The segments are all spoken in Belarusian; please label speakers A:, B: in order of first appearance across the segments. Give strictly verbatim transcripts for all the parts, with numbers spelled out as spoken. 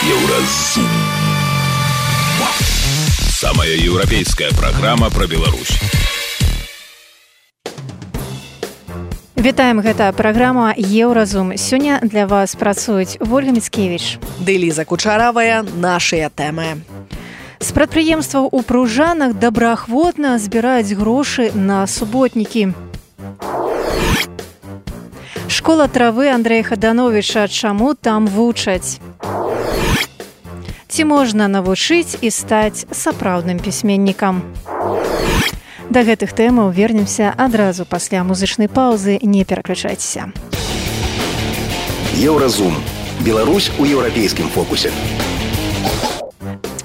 A: Еўразум. Самая еўрапейская программа про Беларусь.
B: Вітаем, гэта праграма «Еўразум». Сёння для вас працуюць Вольга Міцкевіч
C: ды Ліза Кучаравая. Нашыя тэмы.
B: З прадпрыемстваў у Пружанах добраахвотна збіраюць грошы на суботнікі. Школа травы Андрэя Хадановіча. Чаму там вучаць? Ці можна навучыць і стаць сапраўдным пісьменнікам? Да гэтых тэмаў вернемся адразу пасля музычнай паўзы. Не пераключайцеся.
A: Еўразум. Беларусь у еўрапейскім фокусе.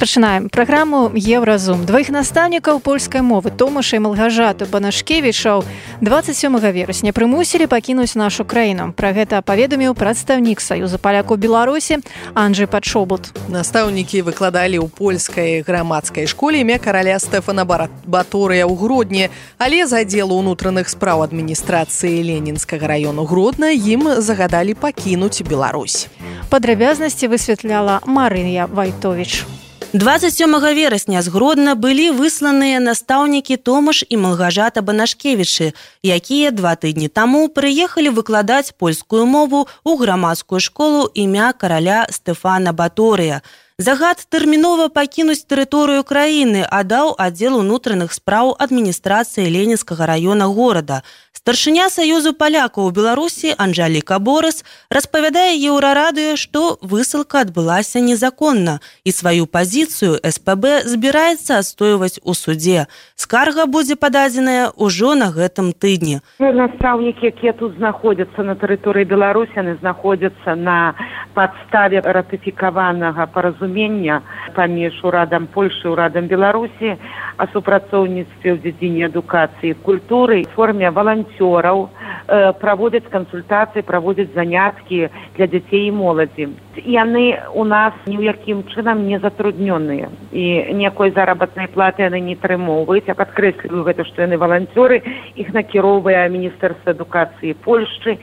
B: Пачынаем праграму «Еўразум». Дваіх настаўнікаў польскай мовы Томаша і Малгажату Банашкевічаў дваццаць сёмага верасня прымусілі пакінуць нашу краіну. Пра гэта паведаміў прадстаўнік Саюза палякаў Беларусі Анджэй Падшобут.
C: Настаўнікі выкладалі ў польскай грамадскай школе імя караля Стэфана Баторыя ў Гродні, але з аддзелу ўнутраных спраў адміністрацыі Ленінскага раёну Гродна ім загадалі пакінуць Беларусь.
B: Падрабязнасці высвятляла Марыя Вайтовіч.
D: дваццаць сёмага верасня з Гродна былі высланыя настаўнікі Томаш і Малгажата Банашкевічы, якія два тыдні таму прыехалі выкладаць польскую мову ў грамадскую школу імя караля Стэфана Баторыя. Загад тэрмінова пакінуць тэрыторыю краіны аддаў аддзел унутраных спраў адміністрацыі Ленінскага раёна горада. Старшыня Саюзу палякаў у Беларусі Анжаліка Борыс распавядае Еўрарадыё, што высылка адбылася незаконна і сваю пазіцыю эс пэ бэ збіраецца адстойваць у судзе. Скарга будзе пададзеная ўжо на гэтым тыдні.
E: Настаўнікі, якія тут знаходзяцца на тэрыторыі Беларусі, яны знаходзяцца на падставе ратыфікаванага паразумення паміж урадам Польшы і урадам Беларусі о супрацоўніцтве ў дзедзіне адукацыі і культуры в форме валанцёраў, э, праводзяць кансультацыі, праводзяць заняткі для дзяцей і моладзі. Яны у нас ні ў якім чынам не затруднёныя і ніякой заработнай платы яны не атрымоўваюць. Я падкрэсліваю гэта, што яны валанцёры, іх накіроўвае Міністэрства адукацыі Польшчы.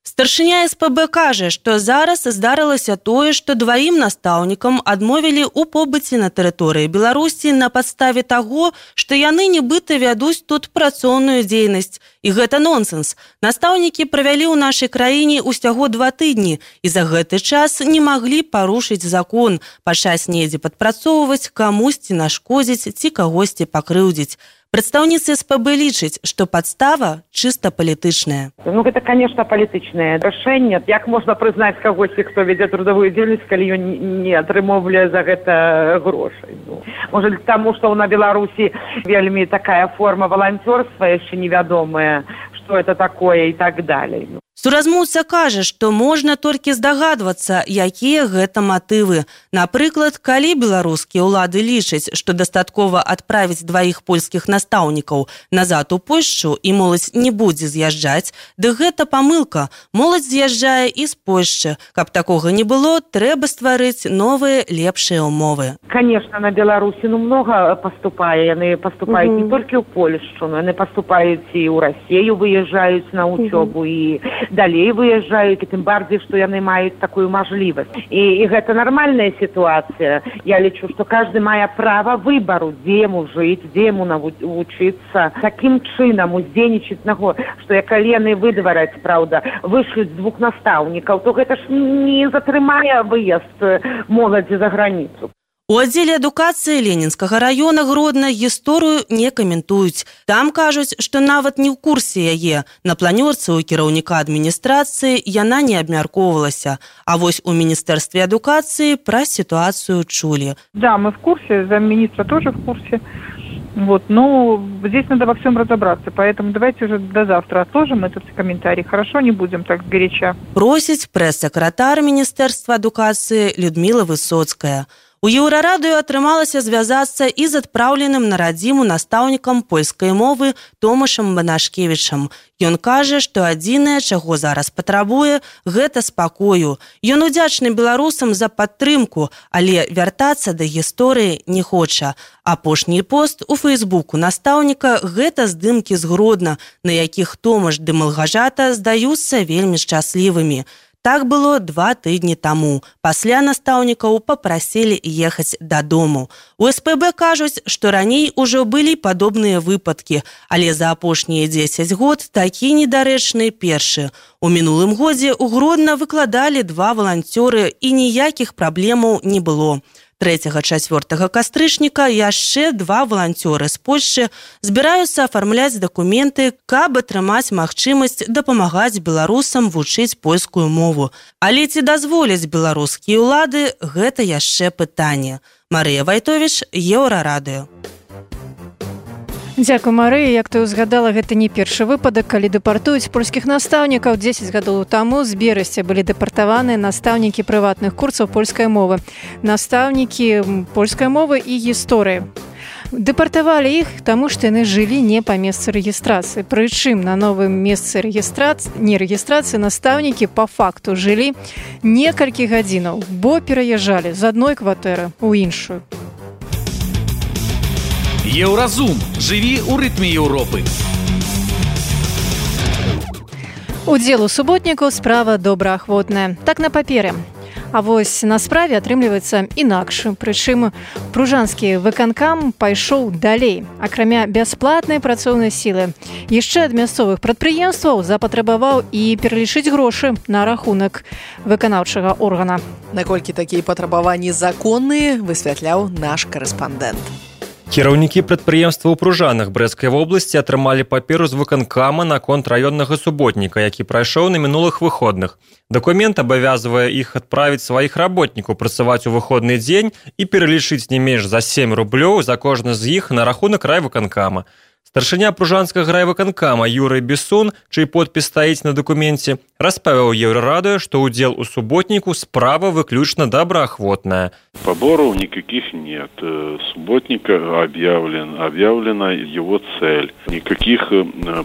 D: Старшыня эс пэ бэ кажа, што зараз здарылася тое, што дваім настаўнікам адмовілі ў побыце на тэрыторыі Беларусі на падставе таго, што яны нібыта вядуць тут працоўную дзейнасць. І гэта нонсенс. Настаўнікі правялі ў нашай краіне ўсяго два тыдні і за гэты час не маглі парушыць закон, пачаць недзе падпрацоўваць, камусьці нашкодзіць ці кагосьці пакрыўдзіць. Прадстаўніцы эс пэ бэ лічаць, што падстава чыста палітычная.
E: Ну, гэта, конечно, палітычнае рашэнне. Як можна прызнаць кагосьці, хто вядзе трудовую дзейнасць, калі ён не атрымоўвае за гэта грошай? Ну, можа, таму, што на Беларусі вельмі такая форма валанцёрства яшчэ невядомая, што это такое і так далей.
D: Суразмоўца кажа, што можна толькі здагадвацца, якія гэта матывы. Напрыклад, калі беларускія ўлады лічаць, што дастаткова адправіць дваіх польскіх настаўнікаў назад у Польшчу і моладзь не будзе з'язджаць, дык гэта памылка. Моладзь з'язджае і з Польшчы. Каб такога не было, трэба стварыць новыя лепшыя ўмовы.
E: Конечно, на Беларусі ну многа паступае. Яны паступаюць mm-hmm. не толькі ў Польшчу, но яны паступаюць і ў Расію, выязджаюць на ўчобу mm-hmm. і далей выязджаюць, і тым барdziej, што яны маюць такую мажлівасць. І, і гэта нармальная сітуацыя. Я лічу, што кожны мае права выбару, дзе яму жыць, дзе яму навучыцца. Такім чынам уздзейнічаць на го, што калі яны выдвараць, праўда, вышлюць двух настаўнікаў, то гэта ж не затрымае выезд моладзі за граніцу.
D: У аддзеле адукацыі Ленінскага раёна Гродна гісторыю не каментуюць. Там кажуць, што нават не ў курсе яе. На планёрцы ў кіраўніка адміністрацыі яна не абмяркоўвалася. А вось у Міністэрстве адукацыі пра ситуацию чулі.
F: Да, мы в курсе, замминистра тоже в курсе. Вот, но здесь надо во всем разобраться, поэтому давайте уже до завтра отложим этот комментарий. Хорошо, не будем так горяча.
D: Просіць прэс-сакратар Міністэрства адукацыі Людмила Высоцкая. У Еўрарадыё атрымалася звязацца і з адпраўленым на радзіму настаўнікам польскай мовы Томашам Банашкевічам. Ён кажа, што адзінае, чаго зараз патрабуе, гэта спакою. Ён удзячны беларусам за падтрымку, але вяртацца да гісторыі не хоча. Апошні пост у фэйсбуку настаўніка – гэта здымкі з Гродна, на якіх Томаш ды Малгажата здаюцца вельмі шчаслівымі. Так было два тыдні таму. Пасля настаўнікаў папрасілі ехаць дадому. У эс пэ бэ кажуць, што раней ужо былі падобныя выпадкі, але за апошнія дзесяць год такі недарэчны першы. У мінулым годзе ў Гродна выкладалі два валанцёры і ніякіх праблемаў не было. трэцяга-чацвёртага кастрычніка яшчэ два валанцёры з Польшчы збіраюцца афармляць дакументы, каб атрымаць магчымасць дапамагаць беларусам вучыць польскую мову. Але ці дазволяць беларускія ўлады, гэта яшчэ пытанне. Марыя Вайтовіч, Еўрарадыё.
B: Дзякуй, Марыя. Як ты ўзгадала, гэта не першы выпадак, калі дэпартуюць польскіх настаўнікаў. дзесяць гадоў таму з Берасця былі дэпартаваны настаўнікі прыватных курсаў польскай мовы, настаўнікі польскай мовы і гісторыі. Дэпартавалі іх, таму што яны жылі не па месцы рэгістрацыі. Прычым на новым месцы рэгістрацыі, не рэгістрацыі настаўнікі па факту жылі некалькі гадзінаў, бо пераязджалі з адной кватэры ў іншую.
A: Еўразум. Жыві ў рытме Еўропы.
B: Удзел у суботнікаў справа добраахвотная. Так на паперы. А вось на справе атрымліваецца інакш. Прычым пружанскі выканкам пайшоў далей. Акрамя бясплатнай працоўнай сілы, яшчэ ад мясцовых прадпрыемстваў запатрабаваў і пералічыць грошы на рахунак выканаўчага органа.
C: Наколькі такія патрабаванні законныя, высвятляў наш карэспандэнт.
G: Кіраўнікі прадпрыемства ў Пружанах Брэсцкай вобласці атрымалі паперу з выканкама наконт раённага суботніка, які прайшоў на мінулых выходных. Дакумент абавязвае іх адправіць сваіх работнікаў працаваць у выходны дзень і пералічыць не менш за сем рублёў за кожны з іх на рахунак райвыканкама. Старшыня пружанскага райвыканкама Юрый Бессун, чый подпіс стаіць на дакуменце, распавіў Еўрарадыё, што ўдзел у суботніку справа выключна добраахвотная.
H: Поборов никаких нет. Субботника объявлен, объявлена его цель. Никаких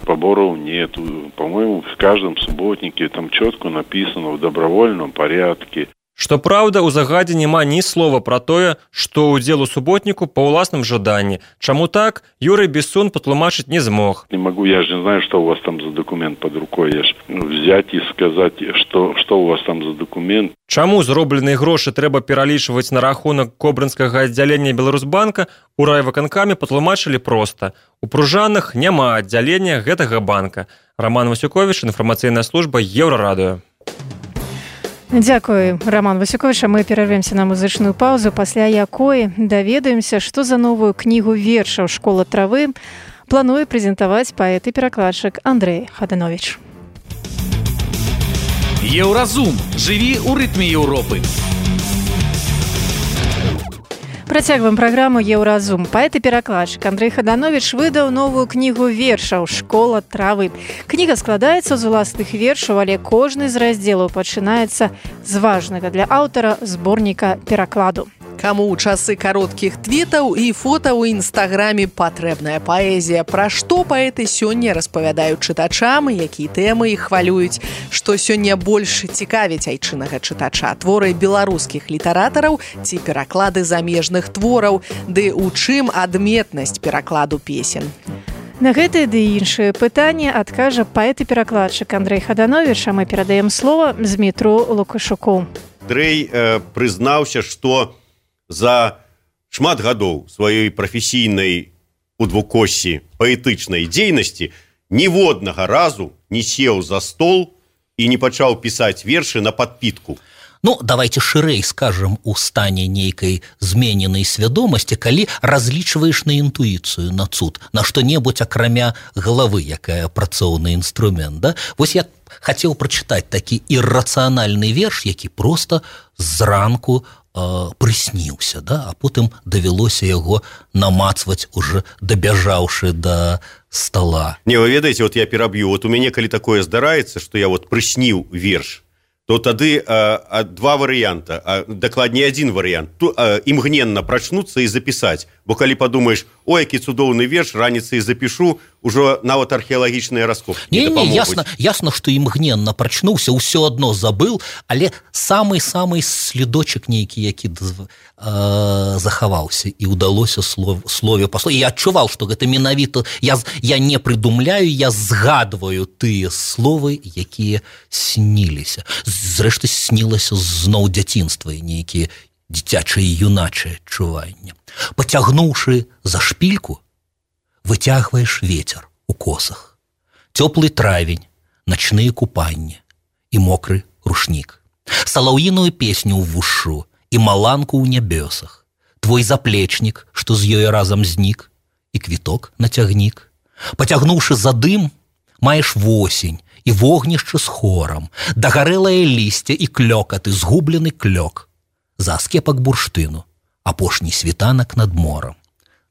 H: поборов нет. По-моему, в каждом субботнике там четко написано в добровольном порядке.
G: Што праўда, у загадзе няма ні слова пра тое, што ўдзел у суботніку па ўласным жаданні. Чаму так, Юрый Бессун патлумачыць не змог.
H: Не могу, я же не знаю, что у вас там за документ под рукой. Я ж взять и сказать, что, что у вас там за документ.
G: Чаму зробленыя грошы трэба пералічваць на рахунак кобрынскага аддзялення Беларусбанка, у райвыканкаме патлумачылі проста. У Пружанах няма аддзялення гэтага банка. Роман Васюкович, інфармацыйная служба Еўрарадыё.
B: Дзякуй, Роман Васюкович. Мы перарвемся на музычную паузу, пасля якой даведаемся, што за новую кнігу вершаў «Школа травы» плануе прэзентаваць паэт і перакладчык Андрэй Хаданович.
A: Еўразум. Жыві ў рытме Еўропы.
B: Працягваем праграму «Еўразум». Паэт і перакладчык Андрэй Хаданович выдаў новую кнігу вершаў «Школа травы». Кніга складаецца з уласных вершаў, але кожны з раздзелаў пачынаецца з важнага для аўтара зборніка перакладу.
C: Каму ў часы кароткіх твітаў і фота ў інстаграме патрэбная паэзія? Пра што паэты сёння распавядаюць чытачам, якія тэмы іх хвалююць, што сёння больш цікавіць айчыннага чытача? Творы беларускіх літаратараў ці пераклады замежных твораў? Ды ў чым адметнасць перакладу песен?
B: На гэтае ды іншыя пытанні адкажа паэт і перакладчык Андрэй Хаданович, а мы перадаем слова Змітру Лукашуку.
I: Андрэй э, прызнаўся, што за шмат гадоў сваёй прафесійнай у двукоссі паэтычнай дзейнасці ніводнага разу не сеў за стол і не пачаў пісаць вершы на падпітку.
J: Ну, давайте шырэй скажам, у стане нейкай змененай свядомасці, калі разлічваеш на інтуіцыю, на цуд, на што-небудзь акрамя галавы, якая працоўны інструмент, да? Вось я хацеў прачытаць такі іррацыянальны верш, які проста зранку прысніўся, да? А потым давялося яго намацваць, уже дабяжаўшы да стола.
I: Не, вы ведаеце, вот я пераб'ю, вот у мяне калі такое здараецца, што я вот прысніў верш, то тады а, два варыянта, а, дакладней адзін варыянт, то, а, імгненна прачнуцца і запісаць, бо калі падумаеш, о, які цудоўны верш, раніцай запішу, ужо нават археалагічныя раскопкі не дапамогуць.
J: Ясна, ясна, што імгненна прачнуўся, ўсё адно забыл, але самы-самы слідочак нейкі, які э, захаваўся, і ўдалося слов, слове па слове. Я адчуваў, што гэта менавіта, я, я не прыдумляю, я згадваю тыя словы, якія сніліся. З зрэшты снілася зноў дзяцінства і нейкія дзіцячыя і юначыя адчуванні. Пацягнуўшы за шпільку, выцягваеш ветер у косах. Цёплы травень, начныя купанні і мокры рушнік. Салаўіную песню ў вушу і маланку ў нябёсах. Твой заплечнік, што з ёй разам знік, і квіток на цягнік. Пацягнуўшы за дым, маеш восень і вогнішча з хорам, дагарэлае лісце і клёкаты, згублены клёк. За аскепак бурштыну, апошні світанак над морам.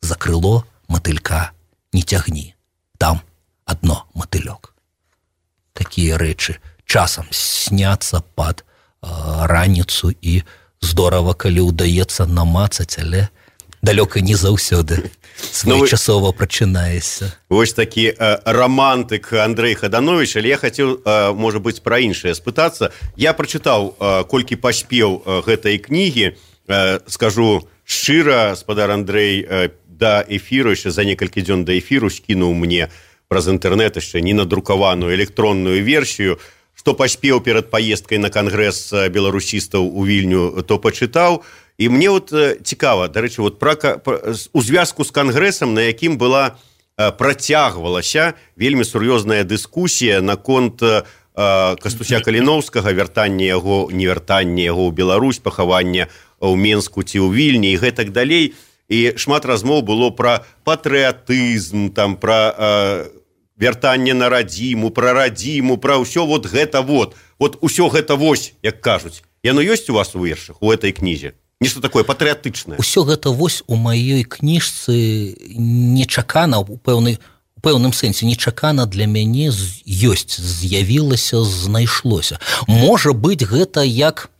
J: За крыло матылька не цягні, там адно матылёк. Такія рэчы часам сняцца пад э, раніцу і здорава, калі ўдаецца намацаць, але далёка не заўсёды своечасова прачынаешся.
I: Вось такі э, романтык Андрей Хаданович, але я хацеў, э, можа быць, пра іншае спытацца. Я прачытаў, э, колькі паспеў э, гэтай кнігі. Э, скажу шчыра, спадар Андрей, э, да эфіру, яшчэ за некалькі дзён да эфіру скінуў мне праз інтэрнэт яшчэ ненадрукаваную электронную версію. Што паспеў перад паездкай на кангрэс беларусістаў у Вільню, то пачытаў. І мне вот цікава, дарэчы, вот пра, пра, у звязку з кангрэсам, на якім была працягвалася вельмі сур'ёзная дыскусія наконт э, Кастуся Каліноўскага, вяртання яго, невяртання яго ў Беларусь, пахавання ў Менску ці ў Вільні і гэтак далей. І шмат размоў было пра патрыятызм, там, пра э, вяртанне на радзіму, пра радзіму, пра ўсё вот гэта вот. Вот усё гэта вось, як кажуць. Яно ёсць у вас у вершах, у этой кнізе? Нешта такое патрыятычнае.
J: Усё гэта вось у маёй кніжцы нечакана, у пэўны, у пэўным сэнсе нечакана для мяне ёсць, з'явілася, знайшлося. Можа быць, гэта як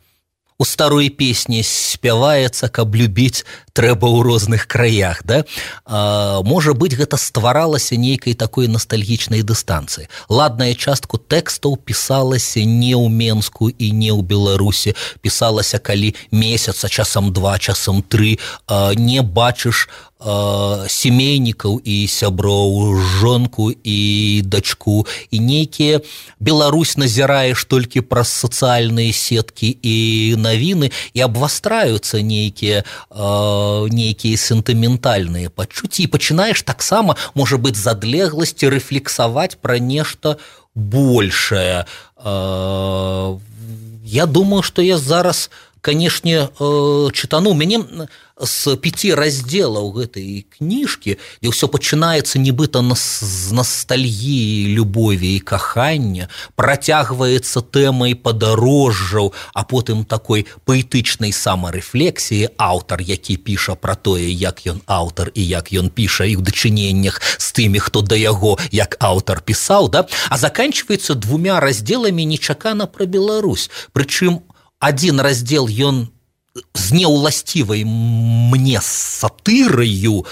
J: у старой песні спяваецца, каб любіць трэба ў розных краях, да? А, можа быць, гэта стваралася нейкай такой ностальгічнай дыстанцыі. Ладная частку тэкстаў пісалася не ў Менску і не ў Беларусі, пісалася калі месяца, часам два, часам тры, а, не бачыш семейнікаў і сяброў, жонку і дачку, і нейкія Беларусь назіраеш толькі праз сацыяльныя сеткі і навіны, і абвастраюцца нейкія нейкія сентыментальныя пачуцці, і пачынаеш таксама, можа быць, з адлегласці рэфлексаваць пра нешта большае. Я думаю, што я зараз, канешне, чытану. Мяне з пяці раздзелаў гэтай кніжкі, дзе ўсё пачынаецца нібыта з ностальгіі, любові і кахання, працягваецца тэмай падарожжаў, а потым такой паэтычнай самарэфлексіі, аўтар, які піша пра тое, як ён аўтар і як ён піша, і ў дачыненнях з тымі, хто да яго, як аўтар пісаў, да? А заканчваецца двумя раздзеламі нечакана пра Беларусь. Прычым адзін раздзел ён з неўласцівай мне сатыраю,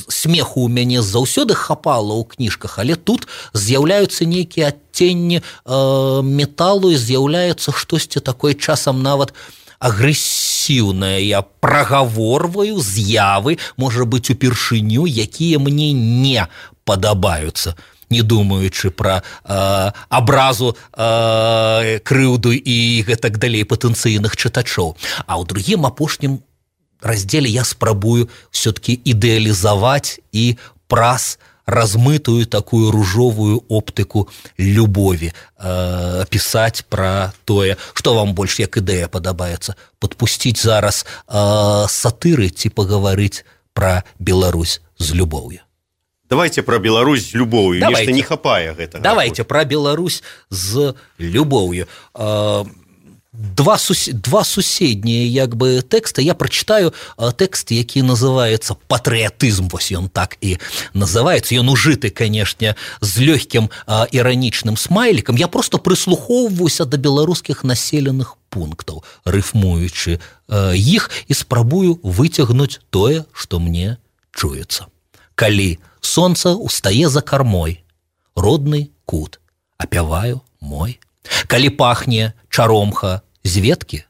J: смеху ў мяне заўсёды хапала ў кніжках, але тут з'яўляюцца нейкія адценні э, металу, і з'яўляецца штосьці такое часам нават агрэсіўнае. Я прагаворваю з'явы, можа быць, упершыню, якія мне не падабаюцца, не думаючы пра э, абразу, э, крыўду і гэтак далей патэнцыйных чытачоў. А ў другім апошнім раздзеле я спрабую ўсё-такі ідэалізаваць і праз размытую такую ружовую оптыку любові э, пісаць пра тое, што вам больш як ідэя падабаецца, падпусціць зараз э, сатыры ці пагаварыць пра Беларусь з любоўю.
I: Давайте про Беларусь з любоўю. Нешта не хапае гэтага.
J: Давайте про Беларусь з любоўю. Два, сус... Два суседнія як бы тэксты. Я прачытаю тэкст, які называецца «Патрыятызм». Вось ён так і называецца. Ён ужыты, канешне, з лёгкім іранічным смайлікам. Я просто прыслухоўваюся да беларускіх населеных пунктаў, рыфмуючы іх, і спрабую выцягнуць тое, што мне чуецца. Калі сонца устае за кармой, родны кут, апяваю мой. Калі пахне чаромха з веткі,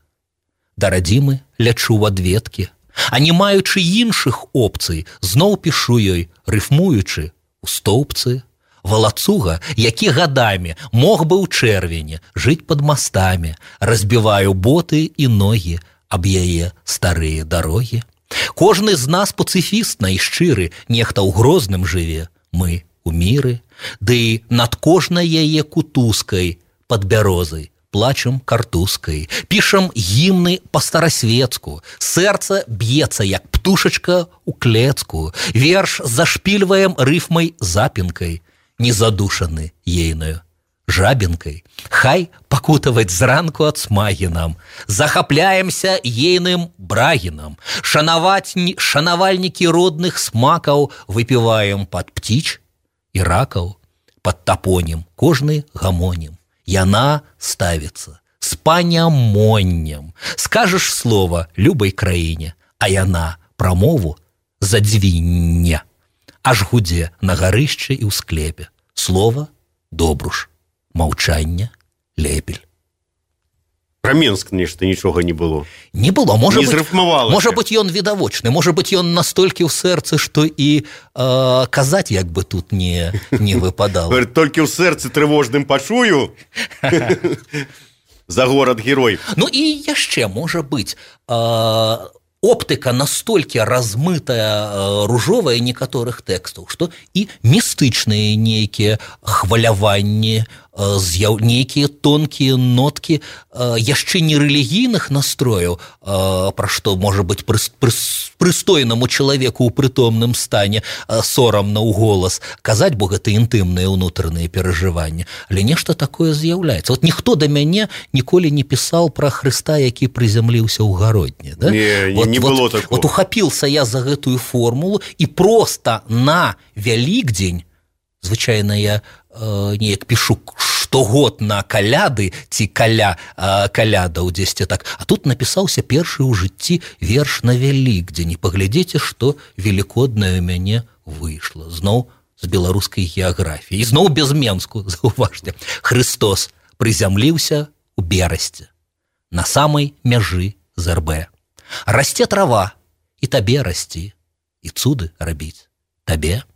J: да радзімы лячу ў адветкі, а не маючы іншых опцый, зноў пішу ёй, рыфмуючы ў стоўбцы. Валацуга, які гадамі мог бы ў чэрвені жыць пад мастамі, разбіваю боты і ногі аб яе старыя дарогі. Кожны з нас пацыфіст найшчыры, нехта ў Грозным жыве, мы у міры, ды над кожнай яе кутузкай пад бярозай плачам картузкай, пішам гімны па-старасветску, сэрца б'ецца, як птушачка ў клецку, верш зашпільваем рыфмай запінкай, незадушаны ейнаю жабінкай. Хай пакутаваць зранку ад смагі нам, захапляемся ейным брагінам, шанаваць шанавальнікі родных смакаў выпіваем пад птіч і ракаў, пад тапонім кожны гамонім. Яна ставіцца з панямоннем. Скажаш слова любой краіне, а яна прамову задзвінне. Аж гудзе на гарышчы і ў склепе. Слова добруш, маўчанне лепель.
I: Про Менск нешта нічога не было.
J: Не было, можа
I: не
J: быць, можа быць ён відавочны, можа быць ён настолькі ў сэрцы, што і э, казаць як бы тут не, не выпадала.
I: Толькі ў сэрцы трывожным пачую за горад-герой.
J: Ну і яшчэ можа быць э, оптыка настолькі размытая, э, ружовая некаторых тэкстаў, што і містычныя нейкія хваляванні, з'яў... нейкія тонкія ноткі э, яшчэ не рэлігійных настрояў, э, пра што можа быць пры... Пры... прыстойнаму чалавеку ў прытомным стане э, сорамна ў голас казаць, бо гэта інтымныя ўнутраныя перажыванні, але нешта такое з'яўляецца. Вот ніхто да мяне ніколі не пісаў пра Хрыста, які прызямліўся ў гародні, да?
I: Не,
J: вот,
I: не
J: вот,
I: было такого.
J: Вот ухапіўся я за гэтую формулу і проста на Вялікдзень, звычайна я э, неяк пішу штогод на каляды ці каля э, калядаў дзесьці так, а тут напісаўся першы ў жыцці верш на Вялікдзень. І паглядзіце, што велікоднае ў мяне выйшла зноў з беларускай геаграфіі, і зноў без Менску, заўважце. Хрыстос прызямліўся ў Берасці на самай мяжы з РБ. Расце трава, і табе расці, і цуды рабіць табе.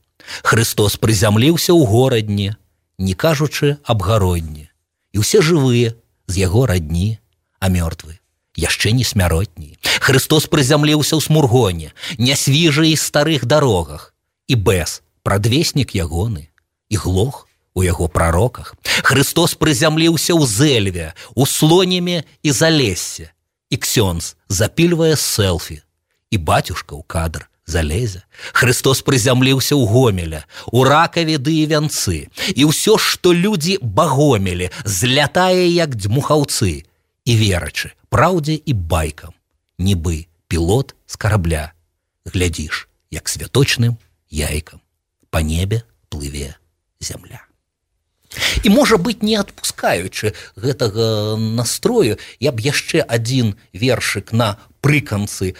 J: Хрыстос прызямліўся ў горадні, не кажучы аб гародні, і ўсе жывыя з яго радні, а мёртвы яшчэ не смяротні. Хрыстос прызямліўся ў Смургоне, не свіжы і старых дарогах, і бэс, прадвеснік ягоны, і глох у яго прароках. Хрыстос прызямліўся ў Зэльве, у Слонеме і Залессе, і ксёндз запільвае селфі, і бацюшка ў кадр залезе. Хрыстос прызямліўся ў Гомеля, у Ракаве ды і Вянцы, і ўсё, што людзі багомелі, злятае як дзьмухаўцы, і верачы праўдзе і байкам, нібы пілот з карабля. Глядзіш, як святочным яйкам па небе плыве зямля. І, можа быць, не адпускаючы гэтага настрою, я б яшчэ адзін вершык на прыканцы э,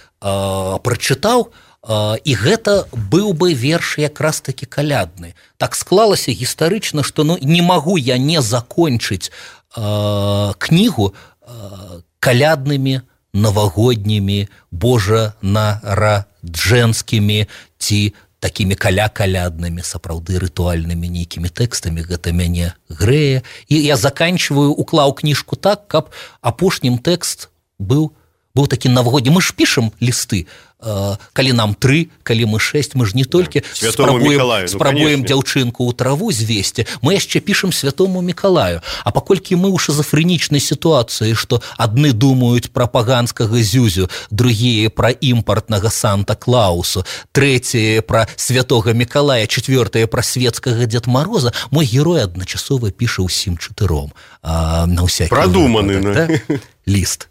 J: прачытаў, Uh, і гэта быў бы верш якраз такі калядны. Так склалася гістарычна, што ну, не магу я не закончыць uh, кнігу uh, каляднымі, навагоднімі, божанараджэнскімі ці такімі каля-каляднымі, сапраўды рытуальнымі нейкімі тэкстамі. Гэта мяне грэе. І я заканчваю, уклаў кніжку так, каб апошнім тэкст быў быў такі навагодні. Мы ж пішам лісты, э, калі нам тры, калі мы шэсць, мы ж не толькі спрабуем, спрабуем ну, дзяўчынку ў траву звесці, мы яшчэ пішам святому Мікалаю. А паколькі мы ў шизофрэнічнай сітуацыі, што адны думаюць пра паганскага зюзю, другія пра імпартнага Санта-Клаусу, трэція пра святога Мікалая, чацвёртая пра светскага Дзед Мароза, мой герой адначасова піша ўсім чатыром. А, на ўсякі
I: прадуманы,
J: выпадак, да? Ліст.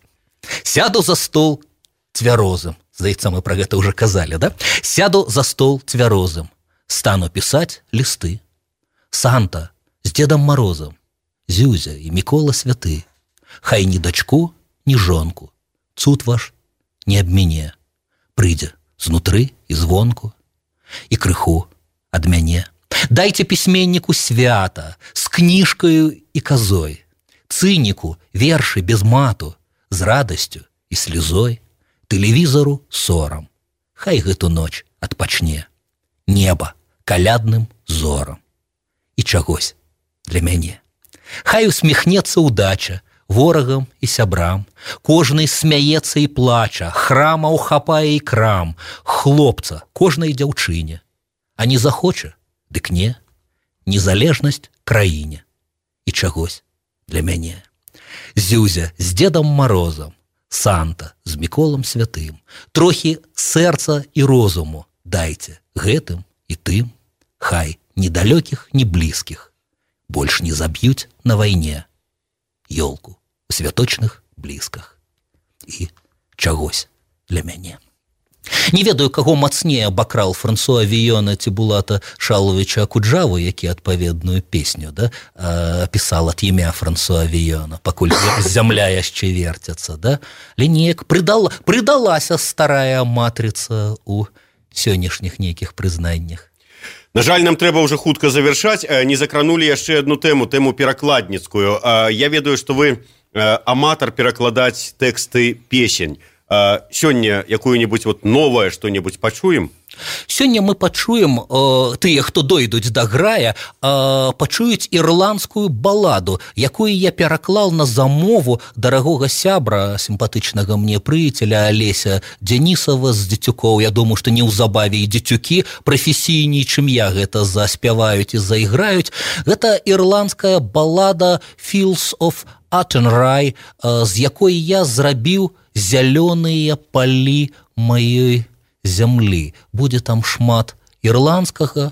J: Сяду за стол цвярозым. Здаецца, мы пра гэта ўжо казалі, да? Сяду за стол цвярозым, стану пісаць лісты. Санта з Дзедам Марозам, Зюзя і Мікола святы, хай ні дачку, ні жонку, цуд ваш не аб мяне, прыйдзе знутры і звонку, і крыху ад мяне. Дайце пісьменніку свята з кніжкаю і казой, цыніку вершы без мату, з радасцю і слезой, тэлевізору сорам. Хай гэту ноч адпачне неба калядным зорам. і чагось для мяне. Хай усміхнецца ўдача ворагам і сябрам, кожны смяецца і плача, храма ўхапае і крам, хлопца кожнай дзяўчыне, а не захоча, дык не, незалежнасць краіне і чагось для мяне. Зюзя з Дедам Морозом, Санта з Міколам Святым, трохі сэрца і розуму дайце гэтым і тым, хай ні далёкіх, ні блізкіх больш не заб'юць на вайне ёлку у святочных блізках і чагось для мяне. Не ведаю, каго мацнее абакрал Франсуа Віёна ці Булата Шаловича Акуджаву, які адпаведную песню да, пісал ад імя Франсуа Віёна, пакуль зямля яшчэ верцяцца. Да? Лінеек прыдала, прыдалася старая матрыца ў сённяшніх нейкіх прызнаннях.
I: На жаль, нам трэба ўжо хутка завяршаць. Не закранулі яшчэ адну тэму, тэму перакладніцкую. Я ведаю, што вы аматар перакладаць тэксты песень. Сёння якую-нибудь вот новое что-нибудь пачуем?
J: Сёння мы пачуем, э, тыя, хто дойдуць да грая, э, пачуюць ірландскую баладу, якую я пераклаў на замову дарагога сябра, сімпатычнага мне прыяцеля Алеся Дзянісава з Дзецюкоў. Я думаю, што неўзабаве і дзецюкі прафесійней, чым я, гэта заспяваюць і заіграюць. Гэта ірландская балада «Fields of Attenry», э, з якой я зрабіў зялёныя палі маёй зямлі. Будзе там шмат ірландскага,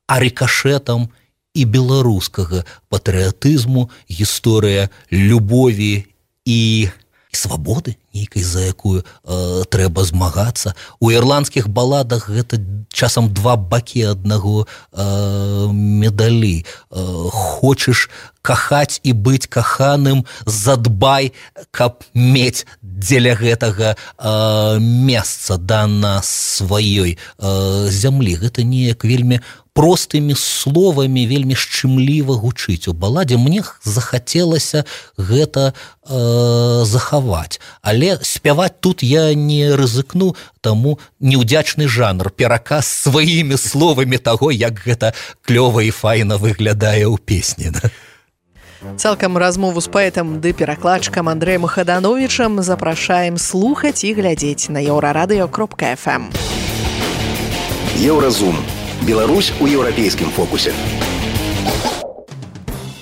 J: а рикошетам і беларускага патрыятызму, гісторыя любові і свабоды нейкай, за якую э, трэба змагацца. У ірландскіх баладах гэта часам два бакі аднаго э, медалі. Э, хочаш кахаць і быць каханым, задбай, каб мець дзеля гэтага э, месца да на сваёй э, зямлі. Гэта неяк вельмі простымі словамі, вельмі шчымліва гучыць у баладзе. Мне захацелася гэта э, захаваць. Але спяваць тут я не рызыкну, таму неўдзячны жанр, пераказ сваімі словамі таго, як гэта клёва і файна выглядае ў песні. Да?
C: Цалкам размову з паэтам ды перакладчыкам Андрэем Хадановічам запрашаем слухаць і глядзець на еўрарадыё кропка эф эм.
K: Еўразум. Беларусь у еўрапейскім фокусе.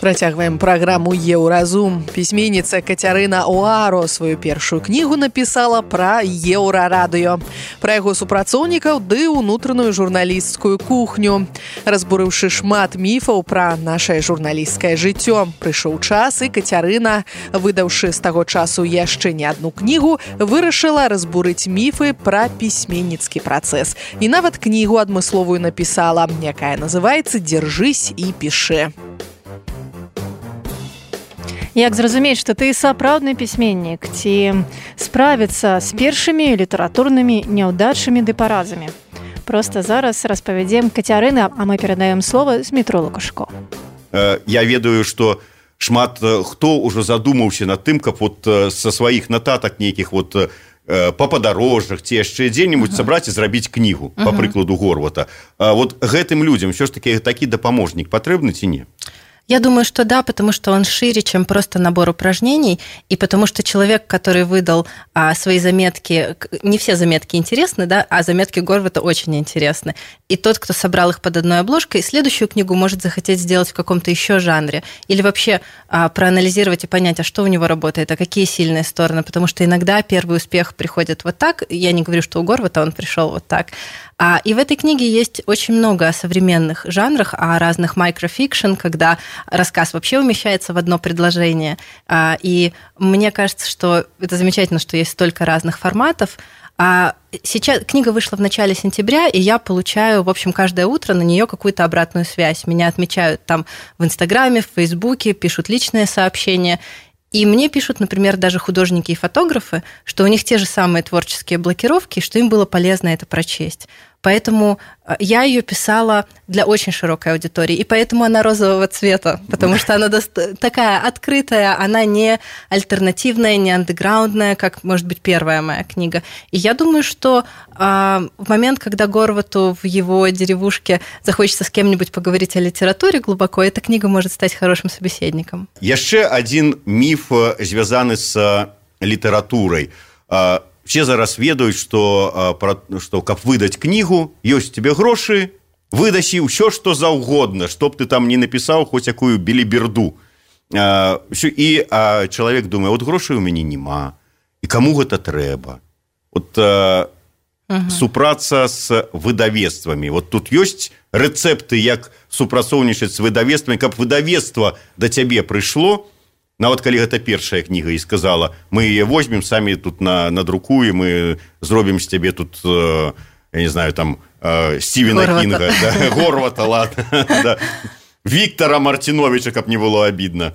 C: Працягваем праграму «Еўразум». Пісьменніца Кацярына Оаро сваю першую кнігу напісала пра еўрарадыё, пра яго супрацоўнікаў ды ўнутраную журналісцкую кухню. Разбурыўшы шмат міфаў пра нашае журналісцкае жыццё, прыйшоў час, і Кацярына, выдаўшы з таго часу яшчэ не адну кнігу, вырашыла разбурыць міфы пра пісьменніцкі працэс. І нават кнігу адмысловую напісала, якая называецца «Дзяржысь і пішы».
B: Як зразумець, што ты сапраўдны пісьменнік, ці справіцца з першымі літаратурнымі няўдачамі ды паразамі? Проста зараз распавядзем Кацярына, а мы перадаем слова Змітру Лукашко.
I: Я ведаю, што шмат хто ўжо задумаўся над тым, каб вот са сваіх нататак нейкіх вот па падарожжах ці яшчэ дзе-небудзь сабраць і зрабіць кнігу, па прыкладу Горвата. Вот гэтым людзям ўсё ж такі такі дапаможнік патрэбны ці не?
L: Я думаю, что да, потому что он шире, чем просто набор упражнений, и потому что человек, который выдал а, свои заметки, не все заметки интересны, да, а заметки Горвата очень интересны. И тот, кто собрал их под одной обложкой, следующую книгу может захотеть сделать в каком-то еще жанре. Или вообще а, проанализировать и понять, а что у него работает, а какие сильные стороны. Потому что иногда первый успех приходит вот так. Я не говорю, что у Горвата он пришел вот так. А, и в этой книге есть очень много о современных жанрах, о разных микрофикшн, когда рассказ вообще умещается в одно предложение. А, и мне кажется, что это замечательно, что есть столько разных форматов. А сейчас книга вышла в начале сентября, и я получаю, в общем, каждое утро на нее какую-то обратную связь. Меня отмечают там в Инстаграме, в Фейсбуке, пишут личные сообщения. И мне пишут, например, даже художники и фотографы, что у них те же самые творческие блокировки, что им было полезно это прочесть. Поэтому я ее писала для очень широкой аудитории, и поэтому она розового цвета, потому что она такая открытая, она не альтернативная, не андеграундная, как, может быть, первая моя книга. И я думаю, что а, в момент, когда Горвату в его деревушке захочется с кем-нибудь поговорить о литературе глубоко, эта книга может стать хорошим собеседником.
I: Яшчэ один міф звязаны з літаратурай. Все зараз ведаюць, што, што каб выдаць кнігу, ёсць тебе грошы, выдасі ўсё, што заўгодна, чтоб ты там не напісаў хоць якую беліберду. І чалавек думае, от грошай у мяне няма, і каму гэта трэба? От угу. супрацца з выдавецтвамі. Вот тут ёсць рэцэпты, як супрацоўнічаць з выдавецтвамі, каб выдавецтва да цябе прыйшло, нават калі гэта першая кніга і сказала, мы яе возьмем, самі тут на, надрукуем і зробім з цябе тут, э, я не знаю, там, э, Стівена Горвата. Кінга, да, Горвата, ладно, да, Виктора Мартиновича, каб не было обидно.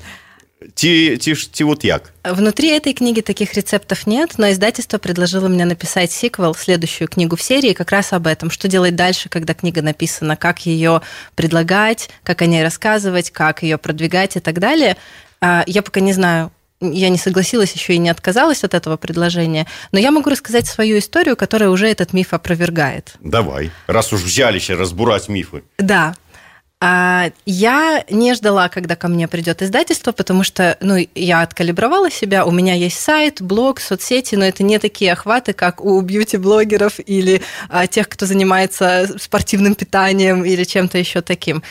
I: Ти, ти, ти вот як?
L: Внутри этой книги таких рецептов нет, но издательство предложило мне написать сиквел, следующую книгу в серии, как раз об этом, что делать дальше, когда книга написана, как ее предлагать, как о ней рассказывать, как ее продвигать и так далее. Я пока не знаю, я не согласилась еще и не отказалась от этого предложения, но я могу рассказать свою историю, которая уже этот миф опровергает.
I: Давай, раз уж взялись разбурать мифы.
L: Да. Я не ждала, когда ко мне придет издательство, потому что ну, я откалибровала себя, у меня есть сайт, блог, соцсети, но это не такие охваты, как у бьюти-блогеров или а, тех, кто занимается спортивным питанием или чем-то еще таким.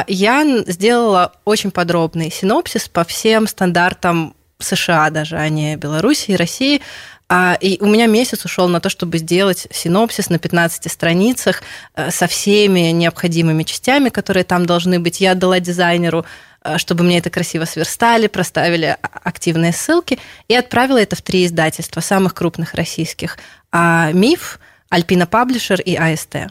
L: Я сделала очень подробный синопсис по всем стандартам США даже, а не Беларуси и России. И у меня месяц ушел на то, чтобы сделать синопсис на пятнадцати страницах со всеми необходимыми частями, которые там должны быть. Я отдала дизайнеру, чтобы мне это красиво сверстали, проставили активные ссылки, и отправила это в три издательства, самых крупных российских. «Миф», «Альпина Паблишер» и «А Эс Тэ».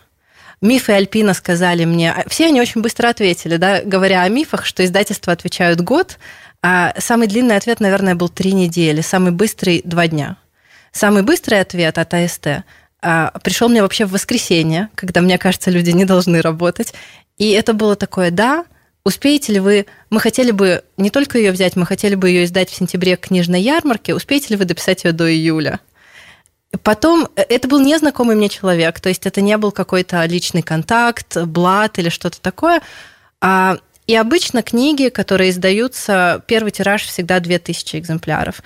L: Миф и Альпина сказали мне, все они очень быстро ответили, да, говоря о мифах, что издательства отвечают год, а самый длинный ответ, наверное, был три недели, самый быстрый – два дня. Самый быстрый ответ от А Эс Тэ а, пришел мне вообще в воскресенье, когда, мне кажется, люди не должны работать, и это было такое, да, успеете ли вы, мы хотели бы не только ее взять, мы хотели бы ее издать в сентябре к книжной ярмарке, успеете ли вы дописать ее до июля? Потом, это был незнакомый мне человек, то есть это не был какой-то личный контакт, блат или что-то такое. И обычно книги, которые издаются, первый тираж всегда две тысячи экземпляров.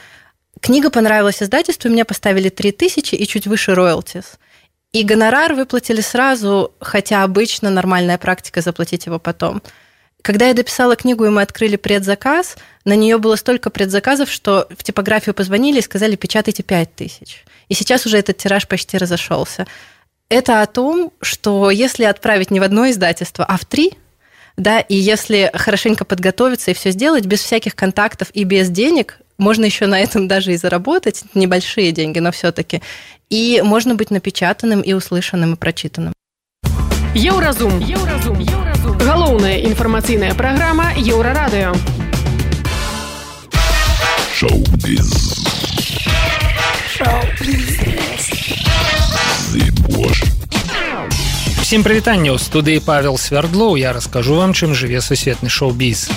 L: Книга понравилась издательству, и мне поставили три тысячи и чуть выше роялтис. И гонорар выплатили сразу, хотя обычно нормальная практика заплатить его потом. Когда я дописала книгу, и мы открыли предзаказ, на нее было столько предзаказов, что в типографию позвонили и сказали, печатайте пять тысяч. И сейчас уже этот тираж почти разошелся. Это о том, что если отправить не в одно издательство, а в три, да, и если хорошенько подготовиться и все сделать, без всяких контактов и без денег, можно еще на этом даже и заработать, небольшие деньги, но все-таки, и можно быть напечатанным и услышанным и прочитанным.
M: Еўразум. Еўразум. Еўразум. Галоўная інфармацыйная праграма Еўрарадыё.
N: Шоу-біз.
O: Всем прывітанне, ў студыі Павел Свярдлоў. Я раскажу вам, чым жыве сусветны шоу-біз.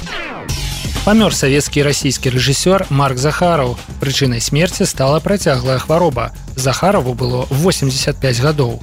O: Памёр савецкі і расійскі рэжысёр Марк Захараў. Прычынай смерці стала працяглая хвароба. Захараву было восемьдесят пять гадоў.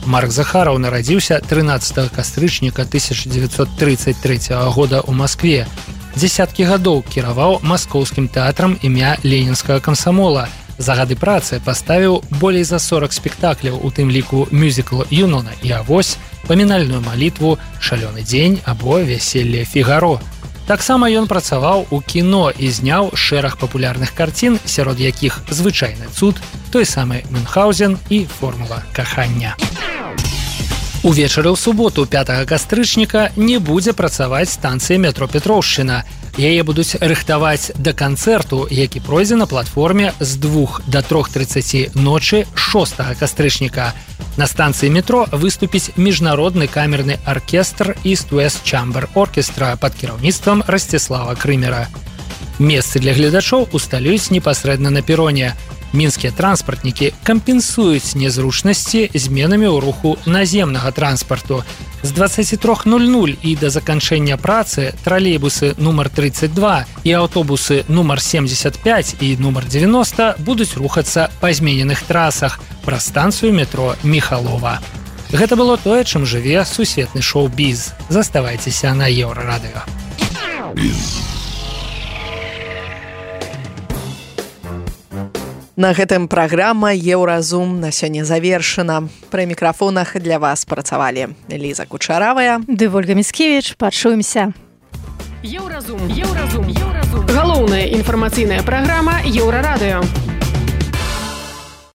O: Марк Захараў нарадзіўся трынаццатага кастрычніка тысяча девятьсот тридцать третьего года ў Маскве. Дзесяткі гадоў кіраваў маскоўскім тэатрам імя ленінскага камсамола. За гады працы паставіў болей за сорок спектакляў, у тым ліку мюзікл «Юнона» і «Авось», памінальную малітву «Шалёны дзень» або «Вяселле Фігаро». Таксама ён працаваў у кіно і зняў шэраг папулярных карцін, сярод якіх «Звычайны цуд», той самы «Мюнхгаузен» і «Формула кахання». Увечары ў суботу пятага кастрычніка не будзе працаваць станцыя метро Петроўшчына. Яе будуць рыхтаваць да канцэрту, які пройдзе на платформе з двух да трох трыццаці ночы шостага кастрычніка. На станцыі метро выступіць міжнародны камерны аркестр East West Chamber Orchestra пад кіраўніцтвам Расціслава Крымера. Месцы для гледачоў усталююць непасрэдна на пероне. Мінскія транспартнікі кампенсуюць незручнасці зменамі ў руху наземнага транспарту. З дваццаці трох нуль нуль і да заканчэння працы тралейбусы нумар тридцать два і аўтобусы нумар семьдесят пять і нумар девяносто будуць рухацца па змененых трасах праз станцыю метро Міхалова. Гэта было тое, чым жыве сусветны шоу-біз. Заставайцеся на Еўрарадыё.
C: На гэтым праграма «Еўразум» на сёння завершана. Пры мікрафонах для вас працавалі Ліза Кучаравая
B: ды Вольга Міцкевіч. Пачуемся.
M: Еўразум. Еўразум. Еўразум. Галоўная інфармацыйная праграма Еўрарадыё.